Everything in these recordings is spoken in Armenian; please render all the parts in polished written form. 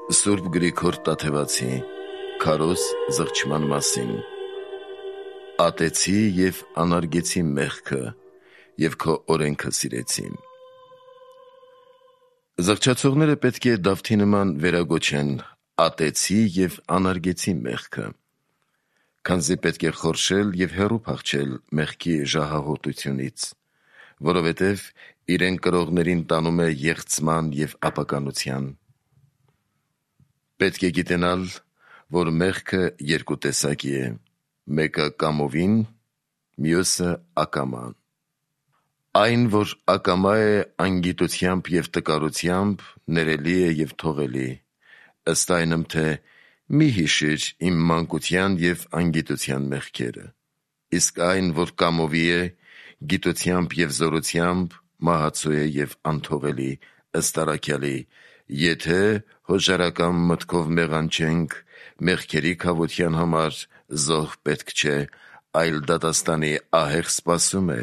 Սուրբ Գրիգոր Տաթևացի քարոզ զղջման մասին։ Ատեցի և անարգեցի մեղքը և քո օրենքը սիրեցի։ Զղջացողները պետք է Դավթի նման վերագոչեն ատեցի և անարգեցի մեղքը, քանզի պետք է խորշել և հեռու փախչել մեղքի ժահաղոտությունից, որովհետև իրեն կրողներին տանում է եղցման և ապականության։ Պետք է գիտենալ, որ մեղքը երկու տեսակի է, մեկը կամովին, մյուսը ակամա։ Այն, որ ակամա է անգիտությամբ և տկարությամբ, ներելի է և թողելի, ըստ այնմ, թե «Մի հիշիր իմ մանկության և անգիտության մեղքերը», իսկ այն, որ կամովի է, գիտությամբ և զորությամբ, մահացու է և անթողելի, ըստ առաքյալի. «Եթե հոժարական մտքով մեղանչենք, մեղքերի քավության համար զոհ պետք չէ, այլ դատաստանի ահեղ սպասում է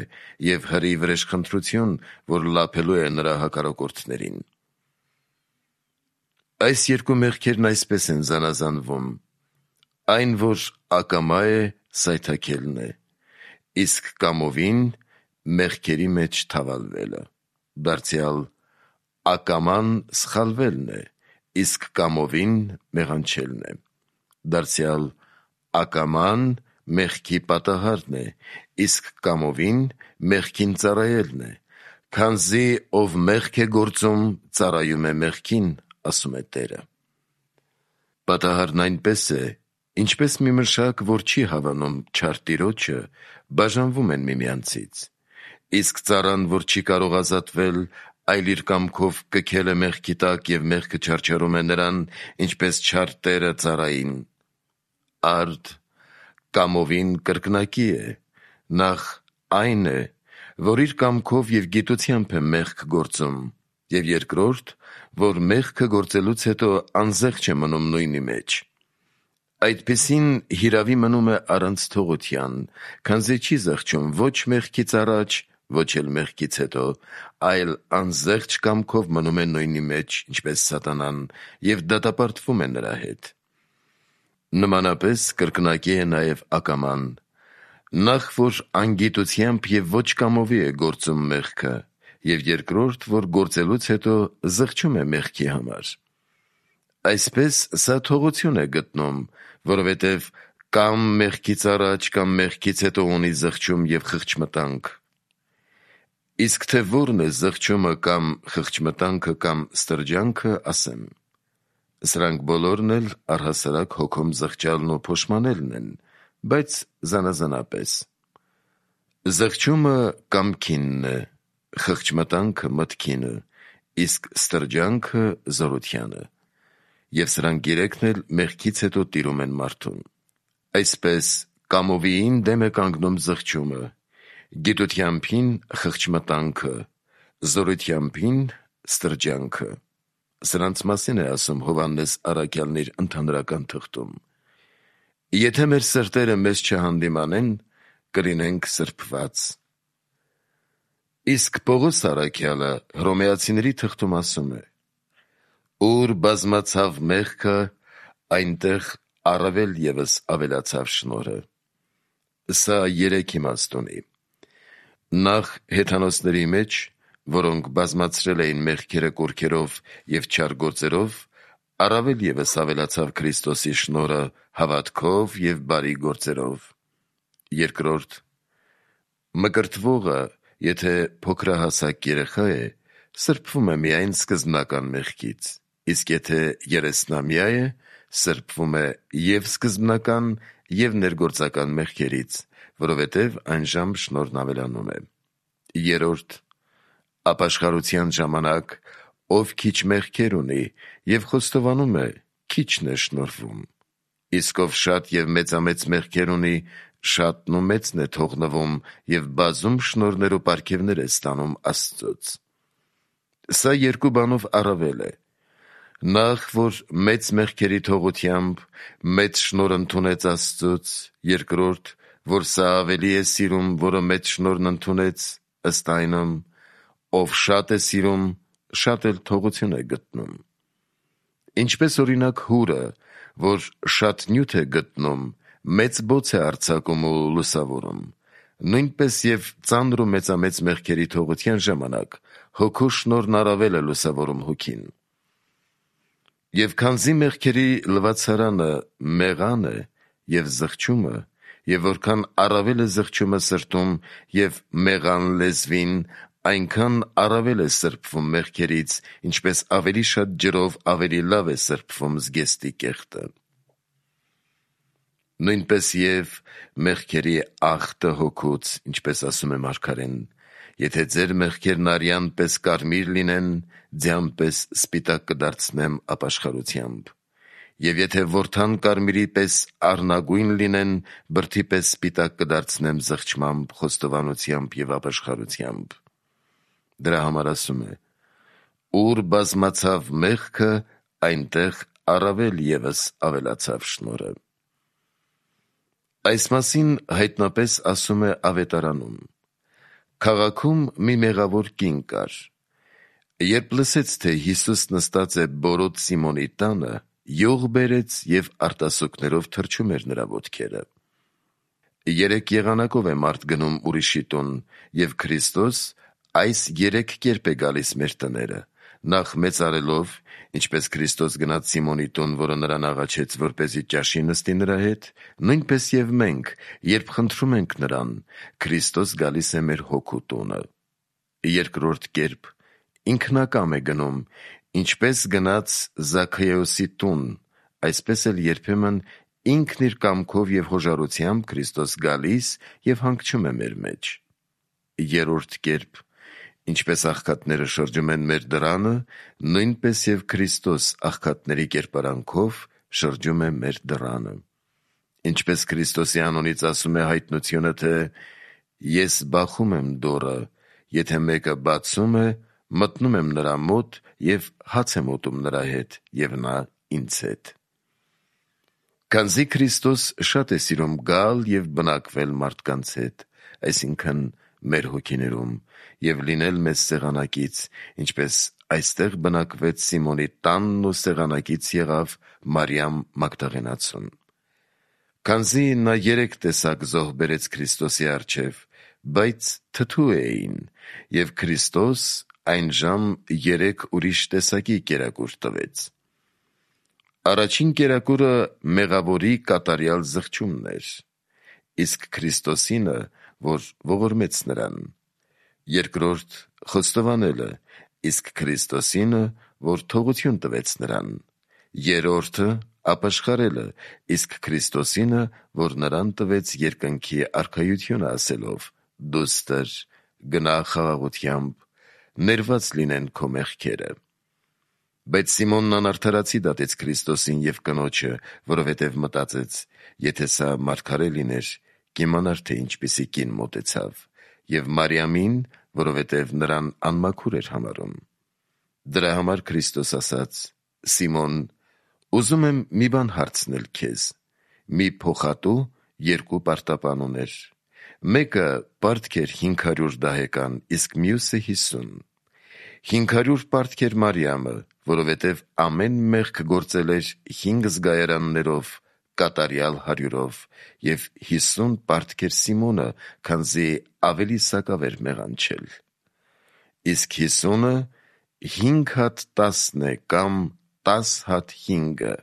և հրի վրեժխնդրություն, որ լափելու է նրա հակառակորդներին»։ Այս երկու մեղքերն այսպես են զանազանվում. այն, որ ակամա է, սայթաքելն է, իսկ կամովին մեղքերի մեջ թավալվելը, դարձյալ ակաման սխալվելն է, իսկ կամովին մեղանչելն է, դարձյալ ակաման մեղքի պատահարն է, իսկ կամովին մեղքին ծառայելն է, քանզի ով մեղք է գործում, ծառայում է մեղքին, ասում է Տերը։ Պատահարն այնպես է, ինչպես մի մշակ, որ չի հավանում չար տիրոջը, բաժանվում են միմյանցից, իսկ ծառան, որ չի կարող ազատվել, այլ իր կամքով կքել է մեղքի տակ և մեղքը չարչարում է նրան, ինչպես չար տերը ծառային։ Արդ կամովին կրկնակի է, նախ այն է, որ իր կամքով և գիտությամբ է մեղք գործում, և երկրորդ, որ մեղքը գործելուց հետո անզեղչ է մնում նույնի մեջ։ Այդպիսին հիրավի մնում է առանց թողության, քանզի չի զղջում ոչ մեղքից առաջ, ոչ էլ մեղքից հետո, այլ անզեղչ կամքով մնում է նույնի մեջ, ինչպես սատանան, և դատապարտվում է նրա հետ։ Նմանապես կրկնակի է նաև ակաման, նախ որ անգիտությամբ և ոչ կամովի է գործում մեղքը, և երկրորդ, որ գործելուց հետո զղջում է մեղքի համար։ Այսպես սա թողություն է գտնում, որովհետև կամ մեղքից առաջ, կամ մեղքից հետո ունի զղջում և խղճմտանք։ Իսկ թե որն է զղջումը կամ խղճմտանքը կամ ստրջանքը, ասեմ. Սրանք բոլորն էլ առհասարակ հոգում զղջալն ու փոշմանելն են, բայց զանազանապես։ Զղջումը կամքինն է, խղճմտանքը մտքինը, իսկ ստրջանքը զորությանը, և սրանք երեքն էլ մեղքից հետո տիրում են մարդուն։ Այսպես կամովիին դեմ է կանգնում զղջումը, գիտությամբին խղճմտանքը, զորությամբին ստրջանքը։ Սրանց մասին է ասում Հովհաննես առաքյալն իր ընդհանրական թղթում. «Եթե մեր սրտերը մեզ չհանդիմանեն, կլինենք սրբված»։ Իսկ Պողոս առաքյալը Հռոմեացիների թղթում ասում է. «Ուր բազմացավ մեղքը, այնտեղ առավել ևս ավելացավ շնորհը»։ Սա երեք իմաստ ունի. Նախ հեթանոսների մեջ, որոնք բազմացրել էին մեղքերը կորքերով և չար գործերով, առավել ևս ավելացավ Քրիստոսի շնորհը հավատքով և բարի գործերով։ Երկրորդ, մկրտվողը, եթե փոքրահասակ երեխա է, սրբվում է միայն սկզբնական մեղքից, իսկ եթե երեսնամյա է, սրբվում է և սկզբնական, և ներգործական մեղքերից, որովհետև այնժամ շնորհն ավելանում է։ Երրորդ, ապաշխարության ժամանակ ով քիչ մեղքեր ունի և խոստովանում է, քիչն է շնորհվում, իսկ ով շատ և մեծամեծ մեղքեր ունի, շատն ու մեծն է թողնվում և բազում շնորհներ ու պարգևներ է ստանում Աստծուց։ Սա երկու բանով առավել է. նախ, որ մեծ մեղքերի թողությամբ մեծ շնորհ ընդունեց Աստծուց, երկրորդ, որ սա ավելի է սիրում, որը մեծ շնորհն ընդունեց, ըստ այնմ, ով շատ է սիրում, շատ էլ թողություն է գտնում։ Ինչպես օրինակ հուրը, որ շատ նյութ է գտնում, մեծ բոց է արձակում ու լուսավորում, նույնպես և ծանր ու մեծամեծ մեղքերի թողության ժամանակ հոգու շնորհն առավել է լուսավորում հոգին։ Եվ քանզի մեղքերի լվացարանը մեղան է և զղջումը, և որքան առավել է զղջումը սրտում և մեղան լեզվին, այնքան առավել է սրբվում մեղքերից, ինչպես ավելի շատ ջրով ավելի լավ է սրբվում զգեստի կեղտը։ Նույնպես և մեղքերի աղտը հոգուց, ինչպես ասում է մարգարեն, եթե ձեր մեղքերն արյան պես կարմիր լինեն, ձյան պես սպիտակ կդարձնեմ ապաշխարությամբ, և եթե որդան կարմիրի պես առնագույն լինեն, բրդի պես սպիտակ կդարձնեմ զղջմամբ, խոստովանությամբ և ապաշխարությամբ։ Դրա համար ասում է. ուր բազմացավ մեղքը, այնտեղ առավել ևս ավելացավ շնորհը։ Այս մասին հայտնապես ասում է Ավետարանում. քաղաքում մի մեղավոր կին կար. երբ լսեց, թե Հիսուս նստած է բորոտ Սիմոնի տանը, յուղ բերեց և արտասուքներով թրջում էր նրա ոտքերը։ 3 եղանակով է մարդ գնում ուրիշի տուն, և Քրիստոս այս 3 կերպ է գալիս մեր տները. նախ մեծարելով, ինչպես Քրիստոս գնաց Սիմոնի տուն, որը նրան աղաչեց, որպեսզի ճաշի նստի նրա հետ, նույնպես և մենք, երբ խնդրում ենք նրան, Քրիստոս գալիս է մեր հոգու տունը։ 2-րդ կերպ ինքնակամ է գնում, ինչպես գնաց Զաքեոսի տուն, այսպես էլ երբեմն ինքն իր կամքով և հոժարությամբ Քրիստոս գալիս և հանգչում է մեր մեջ։ 3-րդ կերպ ինչպես աղքատները շրջում են մեր դռանը, նույնպես և Քրիստոս աղքատների կերպարանքով շրջում է մեր դռանը։ Ինչպես Քրիստոսի անունից ասում է հայտնությունը, թե «Ես բախում եմ դուռը, եթե մեկը բացում է, մտնում եմ նրա մոտ և հաց եմ ուտում նրա հետ, և նա ինձ հետ»։ Քանզի Քրիստոս շատ է սիրում գալ և բնակվել մարդկանց հետ, այսինքն մեր հոգիներում, և լինել մեզ սեղանակից, ինչպես այստեղ բնակվեց Սիմոնի տանն ու սեղանակից եղավ Մարիամ Մագդաղենացուն։ Քանզի նա 3 տեսակ զոհ բերեց Քրիստոսի առջև, բայց թթու էին, և Քրիստոս այնժամ 3 ուրիշ տեսակի կերակուր տվեց։ Առաջին կերակուրը մեղավորի կատարյալ զղջումն էր, իսկ Քրիստոսինը, որ ողորմեց նրան. երկրորդ խոստովանելը, իսկ Քրիստոսինը, որ թողություն տվեց նրան. երրորդը ապաշխարելը, իսկ Քրիստոսինը, որ նրան տվեց երկնքի արքայությունը ասելով. «Դուստր, գնա խաղաղությամբ, ներված լինեն քո մեղքերը»։ Բայց Սիմոնն անարդարացի դատեց Քրիստոսին և կնոջը, որովհետև մտածեց. եթե սա մարգարե լիներ, կիմանար, թե ինչպիսի կին մոտեցավ, և Մարիամին, որովհետև նրան անմաքուր էր համարում։ Դրա համար Քրիստոս ասաց. «Սիմոն, ուզում եմ մի բան հարցնել քեզ. մի փոխատու 2 պարտապան ուներ. մեկը պարտք էր 500 դահեկան, իսկ մյուսը 50։ 500 պարտք էր Մարիամը, որովհետև ամեն մեղք գործել էր 5 զգայարաններով, կատարյալ 100-ով, և 50 պարտք էր Սիմոնը, քանզի ավելի սակավ էր մեղանչել։ Իսկ 50-ը 5 հատ 10 է, կամ 10 հատ 5-ը,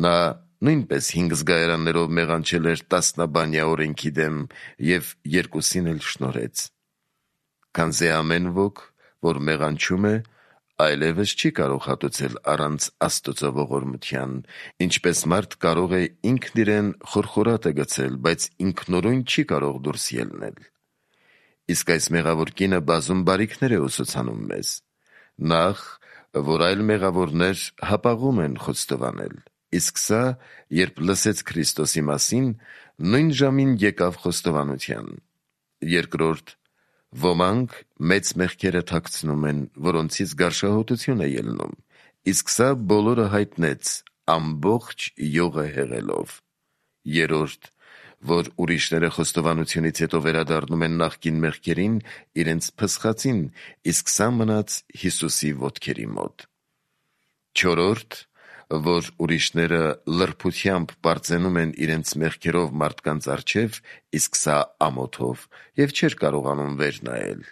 նա նույնպես 5 զգայարաններով մեղանչել էր տասնաբանյա օրենքի դեմ և 2-ին էլ շնորհեց։ Քանզի ամեն ոք, որ մեղանչում է, այլևս չի կարող հատուցել առանց Աստծո ողորմության, ինչպես մարդ կարող է ինքն իրեն խորխորատը գցել, բայց ինքնուրույն չի կարող դուրս ելնել։ Իսկ այս մեղավոր կինը բազում բարիքներ է ուսուցանում մեզ. նախ, որ այլ մեղավորներ հապաղում են խոստովանել, իսկ սա, երբ լսեց Քրիստոսի մասին, նույն ժամին եկավ խոստովանության։ Երկրորդ, ոմանք մեծ մեղքերը թաքցնում են, որոնցից գարշահոտություն է ելնում, իսկ սա բոլորը հայտնեց ամբողջ յուղը հեղելով։ Երրորդ, որ ուրիշները խոստովանությունից հետո վերադառնում են նախկին մեղքերին իրենց փսխածին, իսկ սա մնաց Հիսուսի ոտքերի մոտ։ Չորրորդ, որ ուրիշները լրբությամբ պարծենում են իրենց մեղքերով մարդկանց առջև, իսկ սա ամոթով, և չէր կարողանում վեր նայել։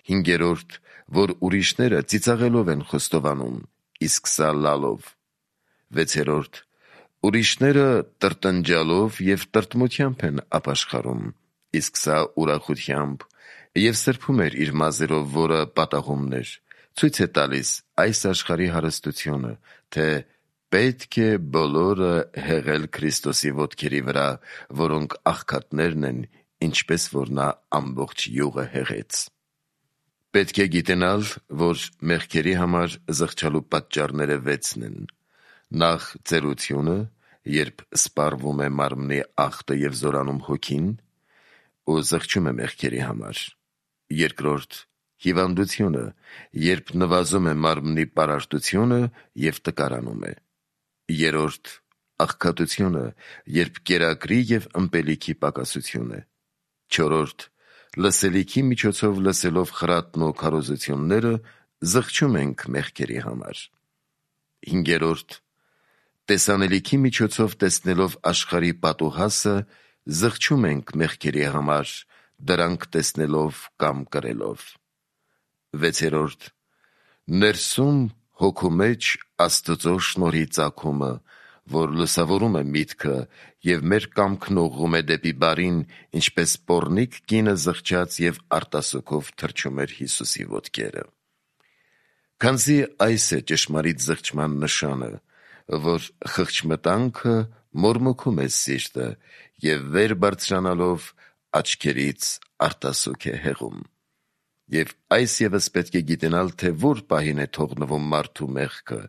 5. Որ ուրիշները ծիծաղելով են խոստովանում, իսկ սա լալով։ 6. Ուրիշները տրտնջալով և տրտմությամբ են ապաշխարում, իսկ սա ուրախությամբ, և սրբում էր իր մազերով, որը պատաղումն էր, ցույց է տալիս այս աշխարհի հարստությունը, թե պետք է բոլորը հեղել Քրիստոսի ոտքերի վրա, որոնք աղքատներն են, ինչպես որ նա ամբողջ յուղը հեղեց։ Պետք է գիտենալ, որ մեղքերի համար զղջալու պատճառները 6-ն են. նախ ծերությունը, երբ սպառվում է մարմնի ախտը և զորանում հոգին, ու զղջում է մեղքերի համար. 2. Հիվանդությունը, երբ նվազում է մարմնի պարարտությունը և տկարանում է. 3. Աղքատությունը, երբ կերակրի և ըմպելիքի պակասություն է. 4. Լսելիքի միջոցով լսելով խրատն ու քարոզությունները զղջում ենք մեղքերի համար. 5. Տեսանելիքի միջոցով տեսնելով աշխարհի պատուհասը զղջում ենք մեղքերի համար, դրանք տեսնելով կամ կրելով. 6. Ներսում հոգու մեջ Աստծո շնորհի ծագումը, որ լուսավորում է միտքը և մեր կամքն ուղղում է դեպի բարին, ինչպես պոռնիկ կինը զղջաց և արտասուքով թրջում էր Հիսուսի ոտքերը։ Քանզի այս է ճշմարիտ զղջման նշանը, որ խղճմտանքը մորմոքում է սիրտը և վեր բարձրանալով աչքերից արտասուք է հեղում։ Եվ այս ևս պետք է գիտենալ, թե որ պահին է թողնվում մարդու մեղքը՝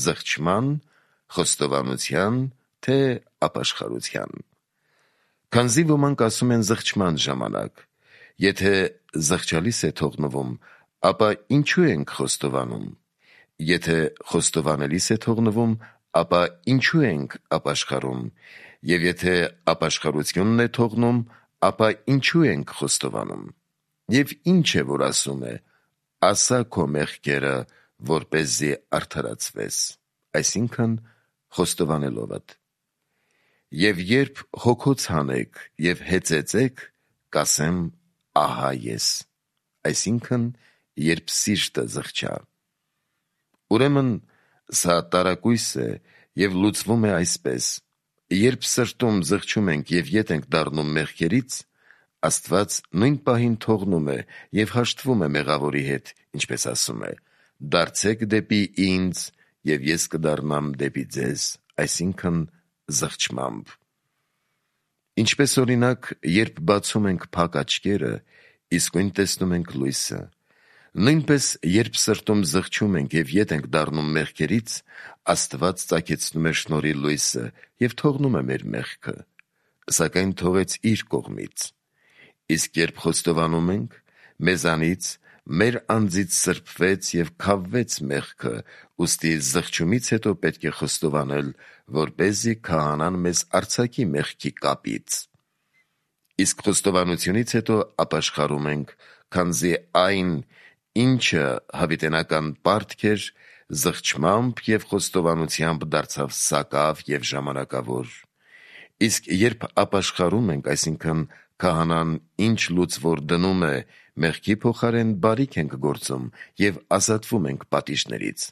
զղջման, խոստովանության, թե ապաշխարության։ Քանզի ոմանք ասում են զղջման ժամանակ. եթե զղջալիս է թողնվում, ապա ինչու ենք խոստովանում. եթե խոստովանելիս է թողնվում, ապա ինչու ենք ապաշխարում, և եթե ապաշխարությունն է թողնում, ապա ինչու ենք խոստովանում։ Եվ ինչ է, որ ասում է. ասա քո մեղքերը, որպեսզի արդարացվես, այսինքն խոստովանելովդ։ Եվ երբ հոգոց հանեք և հեծեծեք, կասեմ. ահա ես, այսինքն երբ սիրտը զղջա։ Ուրեմն սա տարակույս է և լուծվում է այսպես. երբ սրտում զղջում ենք և ետ ենք դառնում մեղքերից, Աստված նույն պահին թողնում է և հաշտվում է մեղավորի հետ, ինչպես ասում է. դարձեք դեպի ինձ, և ես կդառնամ դեպի ձեզ, այսինքն զղջմամբ։ Ինչպես օրինակ, երբ բացում ենք փակ աչքերը, իսկույն տեսնում ենք լույսը, նույնպես երբ սրտում զղջում ենք և ետ ենք դառնում մեղքերից, Աստված ծագեցնում է շնորհի լույսը և թողնում է մեր մեղքը, սակայն թողեց իր կողմից։ Իսկ երբ խոստովանում ենք, մեզանից, մեր անձից սրբվեց և քավվեց մեղքը, ուստի զղջումից հետո պետք է խոստովանել, որպեսզի քահանան մեզ արձակի մեղքի կապից։ Իսկ խոստովանությունից հետո ապաշխարում ենք, քանզի այն, ինչը հավիտենական պարտք էր, զղջմամբ և խոստովանությամբ դարձավ սակավ և ժամանակավոր։ Իսկ երբ ապաշխարում ենք, այսինքն քահանան ինչ լուծվոր դնում է, մեղքի փոխարեն բարիք ենք գործում և ազատվում ենք պատիժներից։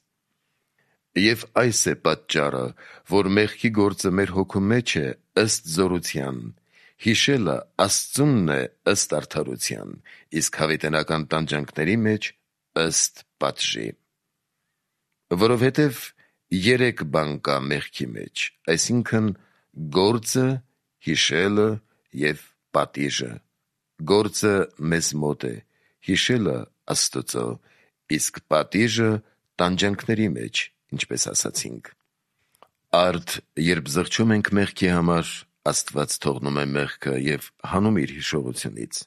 Եվ այս է պատճառը, որ մեղքի գործը մեր հոգու մեջ է ըստ զորության, հիշելը Աստծունն է ըստ արդարության, իսկ հավիտենական տանջանքների մեջ ըստ պատժի։ Որովհետև 3 բան կա մեղքի մեջ, այսինքն գործը, հիշելը և պատիժը։ Գործը մեզ մոտ է, հիշելը Աստծո, իսկ պատիժը տանջանքների մեջ, ինչպես ասացինք։ Արդ երբ զղջում ենք մեղքի համար, Աստված թողնում է մեղքը և հանում իր հիշողությունից։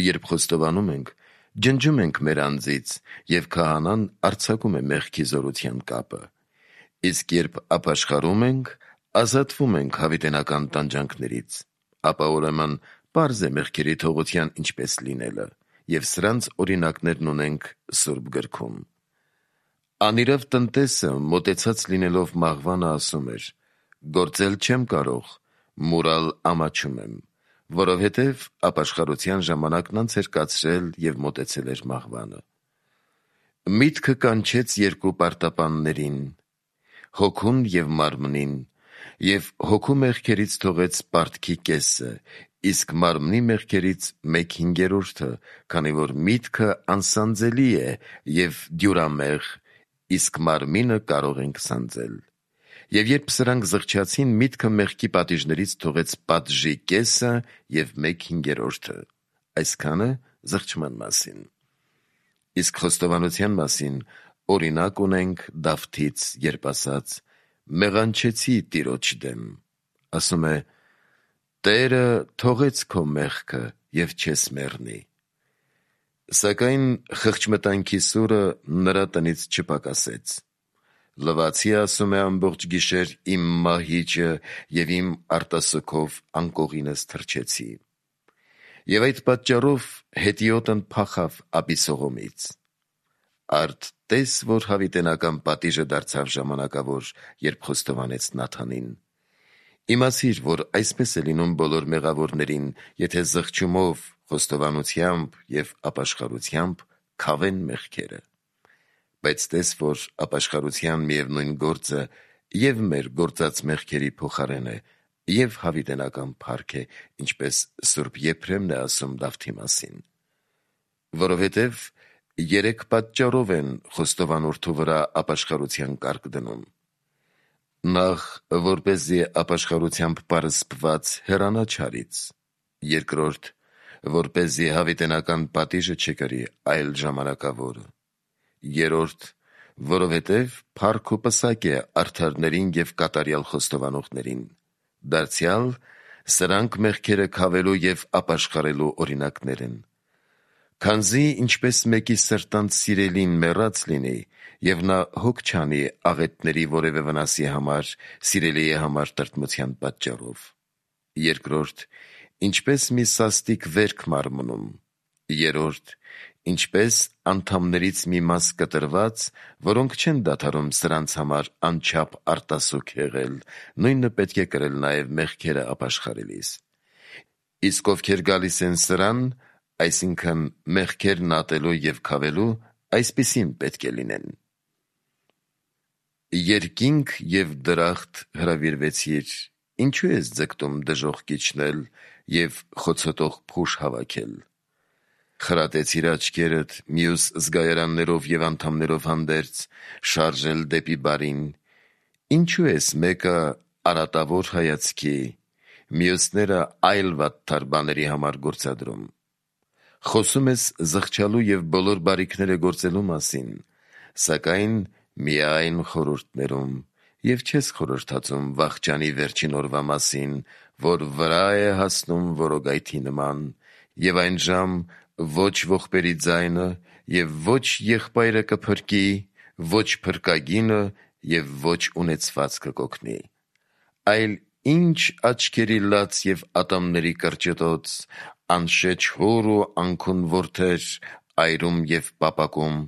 Երբ խոստովանում ենք, ջնջում ենք մեր անձից, և քահանան արձակում է մեղքի զորության կապը։ Իսկ երբ ապաշխարում ենք, ազատվում ենք հավիտենական տանջանքներից, ապա ուրեմն պարզ է մեղքերի թողության ինչպես լինելը, և սրանց օրինակներն ունենք Սուրբ գրքում։ Անիրավ տնտեսը մոտեցած լինելով մահվանը ասում էր. «Գործել չեմ կարող, մուրալ ամաչում եմ», որովհետև ապաշխարության ժամանակն անց էր կացրել և մոտեցել էր մահվանը։ Միտքը կանչեց երկու պարտապաններին, հոգուն և մարմնին, և հոգու մեղքերից թողեց պարտքի կեսը, իսկ մարմնի մեղքերից 1/5, քանի որ միտքը անսանձելի է և դյուրամեղ, իսկ մարմինը կարող ենք սանձել։ Եվ երբ սրանք զղջացին, միտքը մեղքի պատիժներից թողեց պատժի կեսը և 1/5, այսքանը զղջման մասին։ Իսկ խոստովանության մասին օրինակ ունենք Դավթից, երբ ասաց. «Մեղանչեցի Տիրոջ դեմ», ասում է. «Տերը թողեց քո մեղքը և չես մեռնի»։ Սակայն խղճմտանքի սուրը նրա տնից չպակասեց։ «Լվացի, ասում է, ամբողջ գիշեր իմ մահիճը և իմ արտասուքով անկողինս թռչեցի»։ Եվ այդ պատճառով հետիոտն փախավ Աբիսողոմից։ Արդ տես, որ հավիտենական պատիժը դարձավ ժամանակավոր, երբ խոստովանեց Նաթանին։ Իմացիր, որ այսպես է լինում բոլոր մեղավորներին, եթե զղջումով, խոստովանությամբ և ապաշխարությամբ քավեն մեղքերը։ Բայց տես, որ ապաշխարության միևնույն գործը և մեր գործած մեղքերի փոխարեն է, և հավիտենական փառք է, ինչպես Սուրբ Եփրեմն է ասում Դավթի մասին։ Որովհետև 3 պատճառով են խոստովանորդու վրա ապաշխարության կարգ դնում. Նախ, որպեսզի ապաշխարությամբ պարսպված հեռանա չարից. երկրորդ, որպեսզի հավիտենական պատիժը չկրի, այլ ժամանակավորը. երրորդ, որովհետև փառք ու պսակ է արդարներին և կատարյալ խոստովանողներին, դարձյալ սրանք մեղքերը քավելու և ապաշխարելու օրինակներ են։ Քանզի ինչպես մեկի սրտանց սիրելին մեռած լինի, և նա հոգ չանի աղետների որևէ վնասի համար սիրելիի համար տրտմության պատճառով։ Երկրորդ, ինչպես մի սաստիկ վերք մարմնում։ Երրորդ, ինչպես անդամներից մի մաս կտրված, որոնք չեն դադարում սրանց համար անչափ արտասուք եղել, նույնը պետք է կրել նաև մեղքերը ապաշխարելիս։ Իսկ ովքեր գալիս են սրան, այսինքն մեղքերն ատելու և քավելու, այսպիսին պետք է լինեն։ Երկինք և դրախտ հրավիրվեցիր, ինչու ես ձգտում դժոխք իջնել և խոցոտող փուշ հավաքել։ Խրատեցիր աչքերդ մյուս զգայարաններով և անդամներով հանդերձ, շարժել դեպի բարին, ինչու ես մեկը արատավոր հայացքի, մյուսները այլ վատթար բաների համար գործադրում։ Խոսում ես զղջալու և բոլոր բարիքները գործելու մասին, սակայն միայն խորհուրդներում, և չես խորհրդածում վախճանի վերջին օրվա մասին, որ վրա է հասնում որոգայթի նման, և այն ժամ ոչ ողբերի ձայնը, և ոչ եղբայրը կփրկի, ոչ փրկագինը, և ոչ ունեցվածքը կօգնի, այլ ինչ աչքերի լաց և ատամների կրճտոց, անշեջ հոր ու անքուն որդեր, այրում և պապակում,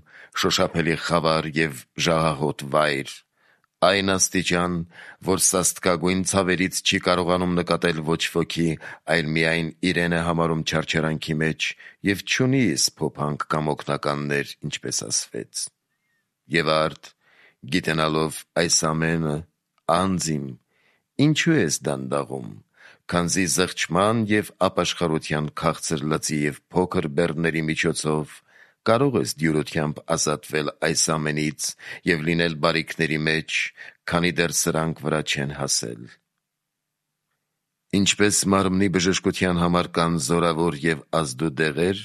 շոշափելի խավար և ժահահոտ վայր, այն աստիճան, որ սաստկագույն ցավերից չի կարողանում նկատել ոչ ոքի, այլ միայն իրեն է համարում չարչարանքի մեջ և չունի սփոփանք կամ օգնականներ, ինչպես ասվեց։ Եվ արդ, գիտենալով այս ամենը, անձ իմ, ինչու ես դանդաղում, քանզի զղջման և ապաշխարության քաղցր լծի և փոքր բեռների միջոցով կարող ես դյուրությամբ ազատվել այս ամենից և լինել բարիքների մեջ, քանի դեռ սրանք վրա չեն հասել։ Ինչպես մարմնի բժշկության համար կան զորավոր և ազդու դեղեր,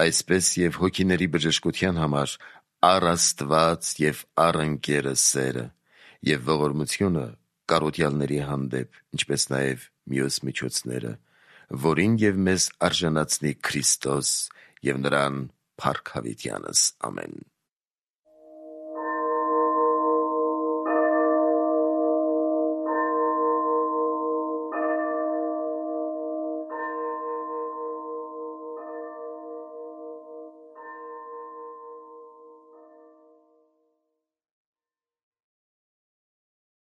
այսպես և հոգիների բժշկության համար առ Աստված և առ ընկերը սերը և ողորմությունը կարոտյալների հանդեպ, ինչպես նաև մյուս միջոցները, որին և մեզ արժանացնի Քրիստոս և նրան փառք հավիտյանս։ Ամեն։